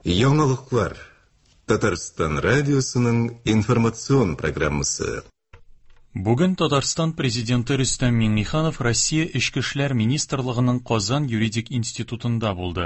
Яңалыклар. Татарстан радиосының информацион программасы. Бүген Татарстан Президенты Рөстәм Миңнеханов Россия Эчке эшләр министрлыгының Казан юридик институтында булды.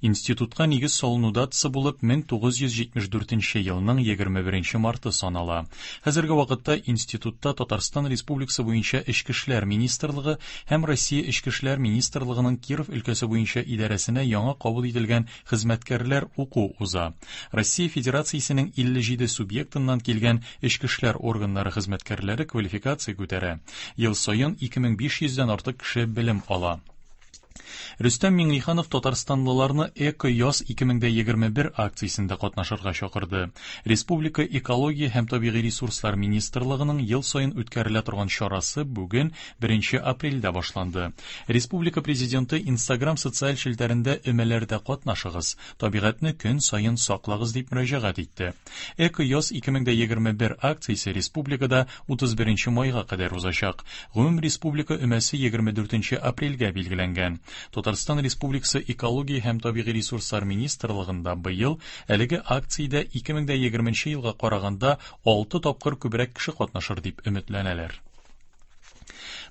Институтка нигез салыну датасы булып 1974 елның 21 марты санала. Хәзерге вакытта институтта Татарстан Республикасы буенча Эчке эшләр министрлыгы һәм Россия Эчке эшләр министрлыгының Киров өлкәсе буенча идарәсенә яңа кабул ителгән хезмәткәрләр уку уза. Россия Федерациясенең 57 субъектыннан килгән эчке эшләр органнары хезмәткәрләре квалификация күтәрә. Ел саен 2500 дән артык кеше белем ала. Рөстәм Миңнеханов татарстанлыларны Эко-яз 2021 акциясендә катнашырга чакырды. Республика Экология һәм табигый ресурслар министрлыгының ел саен үткәрелә торган чарасы бүген, 1 апрельдә башланды. Республика Президенты Инстаграм социаль челтәрендә өмәләрдә катнашыгыз, табигатьне көн саен саклагыз дип мөрәҗәгать итте. Эко-яз 2021 акциясе республикада 31 майга кадәр узачак. Гомум республика өмәсе 24 апрельгә билгеләнгән. Татарстан Республикасы Экология һәм табигый ресурслар министрлыгында быел әлеге акциядә 2020 елга караганда 6 тапкыр күбрәк кеше катнашыр дип өметләнәләр.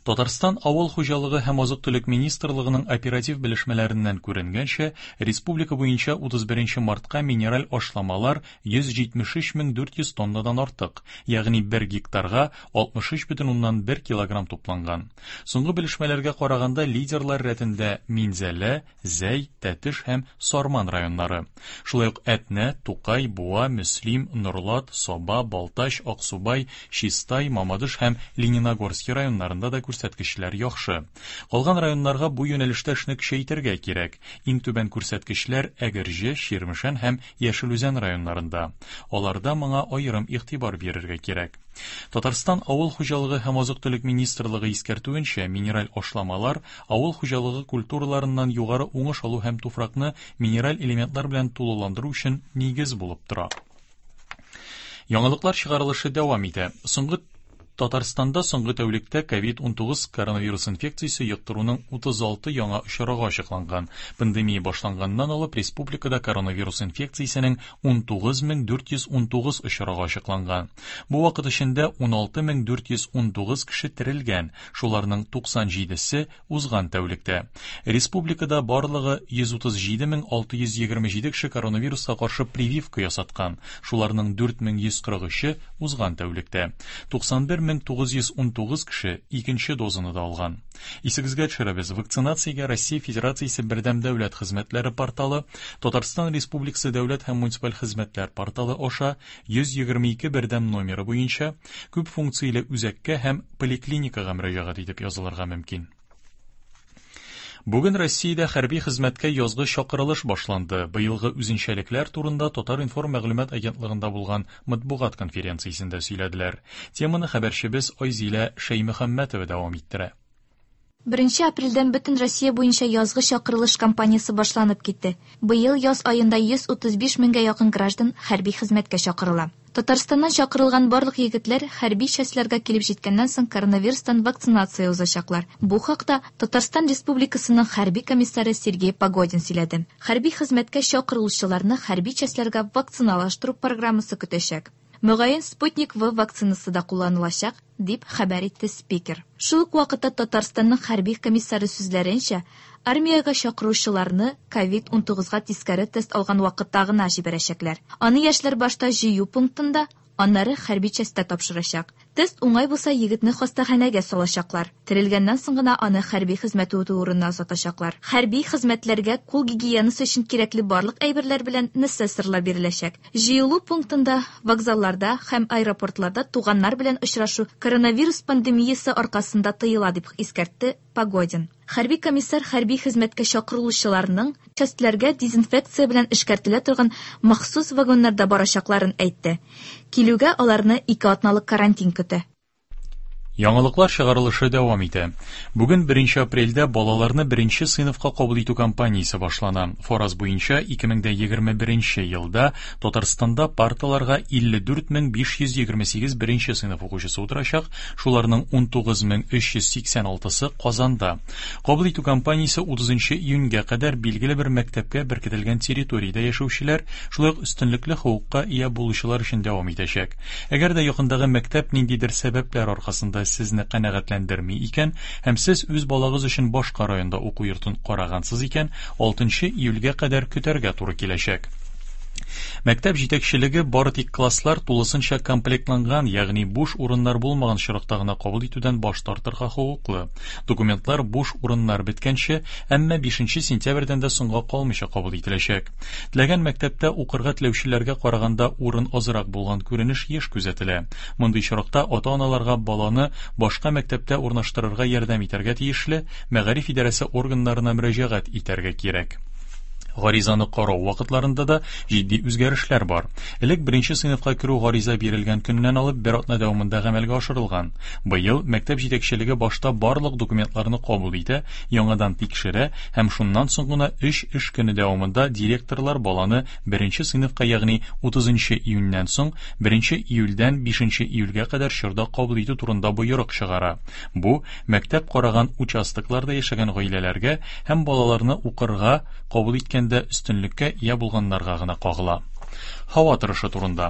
Татарстан Авыл хуҗалыгы һәм азык-төлек министрлыгының оператив белешмәләреннән күренгәнчә, республика буенча 31 мартка минераль ашламалар 173 400 тоннадан артык, ягъни бер гектарга 63,1 килограмм тупланган. Соңгы белешмәләргә караганда, лидерлар рәтендә Минзәлә, Зәй, Тәтеш һәм Сарман районнары. Шулай ук Әтнә, Тукай, Буа, Мөслим, Норлат, Саба, Балтач, Аксубай, Чистай, Мамадыш һәм Лениногорский районнарында да күрсәткечләр яхшы. Калган районнарга бу юнәлештә эшне көчәйтергә кирәк. Иң түбән күрсәткечләр Әгерҗе, Чирмешән һәм Яшел Үзән районнарында. Аларда моңа аерым игътибар бирергә кирәк. Татарстан Авыл хуҗалыгы һәм азык-төлек министрлыгы искәртүенчә, минераль ашламалар авыл хуҗалыгы культураларыннан югары уңыш алу һәм туфракны минераль элементлар белән тулыландыру өчен нигез булып тора. Яңалыклар чыгарылышы дәвам итә. Соңгы Татарстанда соңгы тәүлектә COVID-19 коронавирус инфекциясе йоктыруның 36 яңа очрагы ачыкланган. Пандемия башланганнан алып республикада коронавирус инфекциясенең 19419 очрагы ачыкланган. Бу вакыт эчендә 16419 кеше терелгән, шуларның 97-се узган тәүлектә. Республикада барлыгы 137627 кеше коронавируска каршы прививка ясаткан, шуларның 4143-е узган тәүлектә. 91919 кеше икенче дозаны да алган. Исегезгә төшерәбез, вакцинациягә Россия Федерациясе Бердәм дәүләт хезмәтләре порталы, Татарстан Республикасы дәүләт һәм муниципаль хезмәтләр порталы аша 122 бердәм номеры буенча күп функцияле үзәккә һәм поликлиникага мөрәҗәгать итеп язылырга мөмкин. Бүген Россиядә хәрби хезмәткә язгы чакырылыш башланды. Быелгы үзенчәлекләр турында Татар-информ мәгълүмат агентлыгында булган матбугат конференциясендә сөйләделәр. Теманы хәбәрчебез Айзилә Шәймөхәммәтова дәвам иттерә. Беренче апрельдән бөтен Россия буенча язгы чакырылыш кампаниясе башланып китте. Быел яз аенда 135 меңгә якын граждан хәрби хезмәткә чакырыла. Татарстаннан чакырылган барлык егетләр хәрби частьләргә килеп җиткәннән соң коронавирустан вакцинация узачаклар. Бу хакта Татарстан Республикасының хәрби комиссары Сергей Погодин сөйләде. Хәрби хезмәткә чакырылучыларны хәрби частьләргә вакциналаштыру программасы көтәчәк. Мөгаен, Спутник-В вакцинасы да кулланылачак, дип хәбәр итте спикер. Шул ук вакытта Татарстанның хәрби комиссары сүзләренчә, армиягә чакыручыларны ковид-19 га тискәре тест алган вакытта гына җибәрәчәкләр. Аны яшьләр башта җыю пунктында, аннары хәрби частьтә тапшырачак. Тест уңай булса, егетне хастаханәгә салачаклар. Терелгәннән соң гына аны хәрби хезмәт үтү урынына озатачаклар. Хәрби хезмәтләргә кул гигиенасы өчен кирәкле барлык әйберләр белән несессорлар биреләчәк. Җыелу пунктында, вокзалларда һәм аэропортларда туганнар белән очрашу коронавирус пандемиясе аркасында тыела, дип искәртте Погодин. Хәрби комиссар хәрби хезмәткә чакырылучыларның частьләргә дезинфекция белән эшкәртелә торган махсус вагоннарда барачакларын әйтте. Килүгә аларны ике атналык карантин көтә. Яңалыклар чыгарылышы дәвам итә. Бүген 1 апрельдә балаларны беренче сыйныфка кабул итү кампаниясе башлана. Фараз буенча 2021 елда Татарстанда парталарга 54528 беренче сыйныф укучысы утырачак, шуларның 19386-сы Казанда. Кабул итү кампаниясе 30 июньгә кадәр билгеле бер мәктәпкә беркетелгән территориядә яшәүчеләр, шулай ук өстенлекле хокукка ия булучылар өчен дәвам итәчәк. Әгәр дә якындагы мәктәп ниндидер сәбәпләр аркасында сезне канәгатьләндерми икән һәм сез үз балагыз өчен башка районда уку йортын карагансыз икән, 6 июльгә кадәр көтәргә туры киләчәк. Мәктәп җитәкчелеге бары тик класслар тулысынча комплектланган, ягъни буш урыннар булмаган очракта гына кабул итүдән баш тартырга хокуклы. Документлар буш урыннар беткәнче, әмма 5 сентябрьдән дә соңга калмыйча кабул ителәчәк. Теләгән мәктәптә укырга теләүчеләргә караганда урын азрак булган күренеш еш күзәтелә. Мондый очракта ата-аналарга баланы башка мәктәптә урнаштырырга ярдәм итәргә тиешле мәгариф идарәсе органнарына мөрәҗәгать итәргә кирәк. Гаризаны карау вакытларында да җитди үзгәрешләр бар. Элек беренче сыйныфка керү гариза бирелгән көннән алып бер атна дәвамында гамәлгә ашырылган. Быел мәктәп җитәкчелеге башта барлык документларны кабул итә, яңадан тикшерә һәм шуннан соң гына 3 эш көне дәвамында директорлар баланы беренче сыйныфка, ягъни 30 июньнән соң 1 июльдән 5 июльгә кадәр чорда кабул итү турында боерык чыгара. Бу мәктәп караган участокларда яшәгән гаиләләргә һәм балаларны укырга кабул иткәндә өстенлеккә ия булганнарга гына кагыла. Һава торышы турында.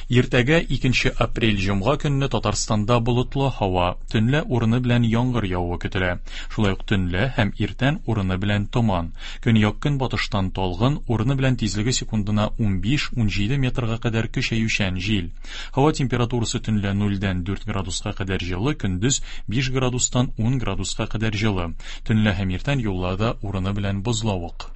Иртәгә 2 апрель җомга көнне Татарстанда болытлы һава, төнлә урыны белән яңгыр явуы көтелә. Шулай ук төнлә һәм иртән урыны белән томан. Көньяк-көнбатыштан талгын, урыны белән тизлеге секундына 15-17 метрга кадәр көчәючән җил. Һава температурасы төнлә 0-дән 4 градуска кадәр җылы, көндез 5 градустан 10 градуска кадәр җылы. Төнлә һәм иртән юлларда урыны белән бозлавык.